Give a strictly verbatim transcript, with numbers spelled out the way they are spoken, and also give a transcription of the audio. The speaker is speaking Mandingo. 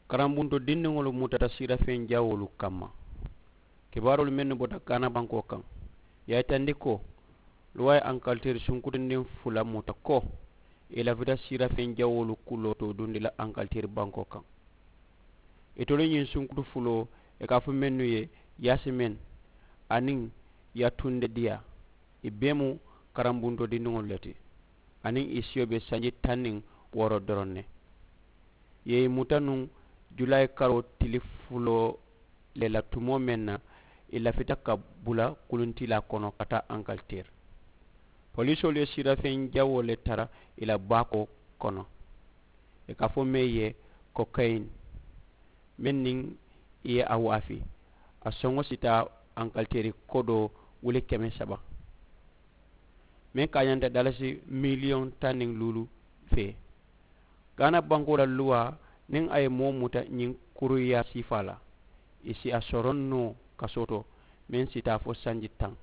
Karambuntoo dindiŋolu mutata siirafeŋ jawoolu kamma. Kibaaroolu mennu bota gaana bankoo kaŋ, ì ye a yitandi ko luwaa ye ankaliteeri sunkutundiŋ fula muta ko ì lafita siirafeŋ jawoolu kuloo to dundi la ankaliteeri bankoo kaŋ. Itolu ñiŋ sunkutu fuloo, ì ka a fo mennu ye, yaasimeŋ aniŋ yatunde diyaa, ì bee mu karambuntoo dindiŋolu le ti. Aniŋ ì siyo be sanji taŋ niŋ wooro doroŋ ne. Ì ye ì muta nuŋ julaayi karoo tili fuloo le la tumoo meŋ na, ì lafita ka bula kuluntilaa kono ka taa ankaliteeri. Poliisoolu ye siirafeŋ jawoo le tara ì la baakoo kono, ì ka a fo meŋ ye kokayin, meŋ niŋ ì ye a waafi, a soŋo si taa ankaliteeri kodoo wuli keme saba, meŋ kaañanta dalasi miliyoŋ taŋ niŋ luulu fee. Gaana bankoo la luwaa, niŋ a ye moo muta ñiŋ kuruyaa siifaa la, ì si a soroŋ noo kasoo to, meŋ si taa fo sanji taŋ.